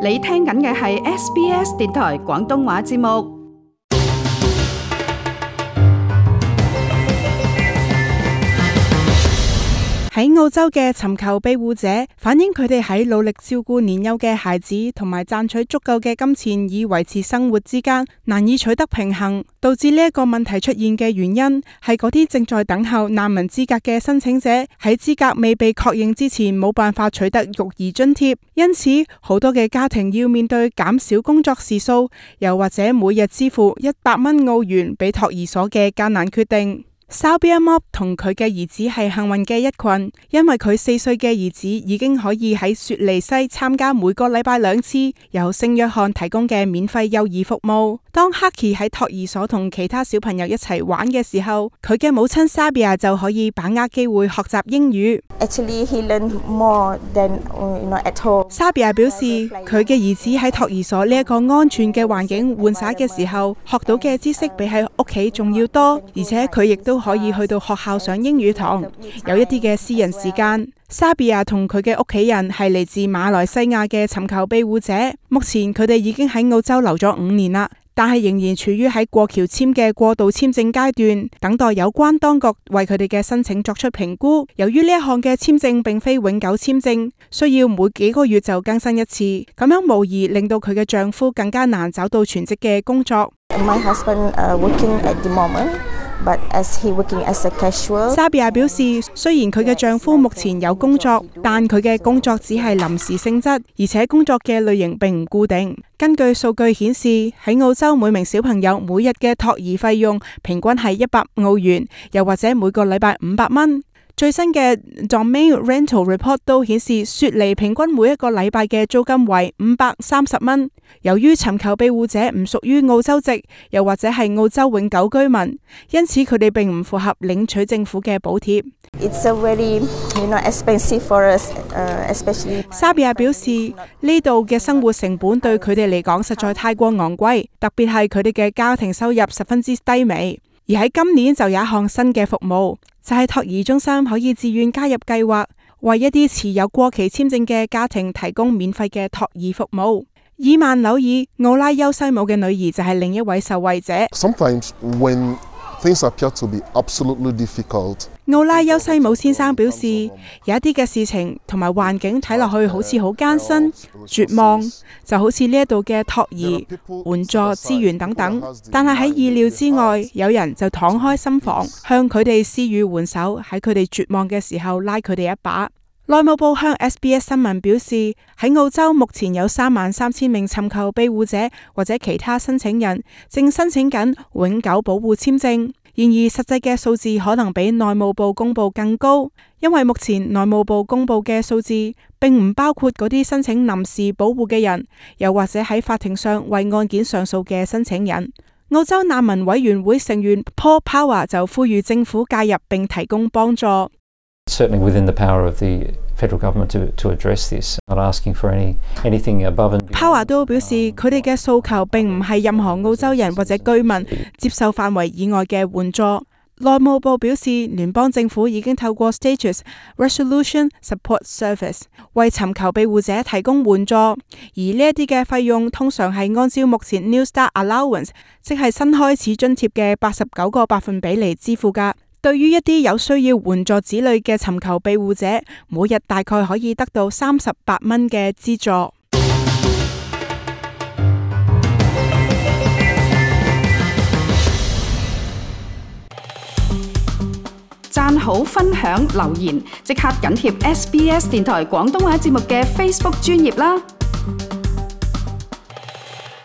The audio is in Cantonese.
你聽緊嘅係 SBS 電台廣東話節目。喺澳洲嘅尋求庇護者反映佢哋喺努力照顧年幼嘅孩子同埋賺取足夠嘅金錢以維持生活之間難以取得平衡，導致呢一個問題出現嘅原因係嗰啲正在等候難民資格嘅申請者喺資格未被確認之前冇辦法取得育兒津貼，因此好多嘅家庭要面對減少工作時數，又或者每日支付100蚊澳元俾托兒所嘅艱難決定。Sabia Mob 同佢嘅兒子係幸運嘅一群，因為佢4歲嘅兒子已經可以喺雪梨西參加每個禮拜2次由聖約翰提供嘅免費幼兒服務。當 Haki 喺托兒所同其他小朋友一齊玩嘅時候，佢嘅母親 Sabia 就可以把握機會學習英語。Actually, he learned more than at home. Sabia 表示，佢嘅兒子喺托兒所呢一個安全嘅環境玩耍嘅時候，學到嘅知識比喺屋企仲要多，而且佢亦都可以去到學校上英語堂，有一啲嘅私人時間。Sabia 同佢嘅屋企人係嚟自馬來西亞嘅尋求庇護者，目前佢哋已經喺澳洲留咗5年啦，但係仍然處於喺過橋簽嘅過渡簽證階段，等待有關當局為佢哋嘅申請作出評估。由於呢一項嘅簽證並非永久簽證，需要每幾個月就更新一次，咁樣無疑令到佢嘅丈夫更加難找到全職嘅工作。My husband working at the moment.But as he working as a casual. Sabia 表示，雖然佢嘅丈夫目前有工作，但佢嘅工作只係臨時性質，而且工作嘅類型並唔固定。根據數據顯示，喺澳洲每名小朋友每日嘅托兒費用平均係100澳元，又或者每個禮拜500蚊。最新嘅 Domain Rental Report 都顯示，雪梨平均每一個禮拜嘅租金為530蚊。由於尋求庇護者唔屬於澳洲籍，又或者係澳洲永久居民，因此佢哋並唔符合領取政府嘅補貼。It's a very, expensive for us, especially. Sabia 表示，呢度嘅生活成本對佢哋嚟講實在太過昂貴，特別係佢哋嘅家庭收入十分之低微。而喺今年就有一項新嘅服務，就係托兒中心可以自願加入計劃，為一啲持有過期簽證嘅家庭提供免費嘅托兒服務。伊曼紐爾奧拉優西姆嘅女兒就係另一位受惠者。Sometimes when things appear to be absolutely difficult. 奧拉優西姆先生表示，有一啲嘅事情同埋環境睇落去好似好艱辛、絕望，就好似呢一度嘅托兒、援助資源等等。但係喺意料之外，有人就敞開心房，向佢哋施予援手，喺佢哋絕望嘅時候拉佢哋一把。內務部向 SBS 新聞表示，喺澳洲目前有33000名尋求庇護者或者其他申請人正申請緊永久保護簽證。然而實際嘅數字可能比內務部公布更高，因為目前內務部公布嘅數字並唔包括嗰啲申請臨時保護嘅人，又或者喺法庭上為案件上訴嘅申請人。澳洲難民委員會成員 Paul Power 就呼籲政府介入並提供幫助。Certainly within the power of the federal government to address this, not asking for anything above and beyond. Power 都表示，佢哋嘅訴求並唔係任何澳洲人或者居民接受範圍以外嘅援助。內務部表示，聯邦政府已經透過 Status Resolution Support Service 為尋求庇護者提供援助，而呢一啲嘅費用通常係按照目前 New Start Allowance， 即係新開始津貼嘅89個百分比嚟支付㗎。對於一啲有需要援助子女嘅尋求庇護者，每日大概可以得到38蚊嘅資助。讚好、分享、留言，即刻緊貼SBS 電台廣東話節目嘅 Facebook 專頁啦！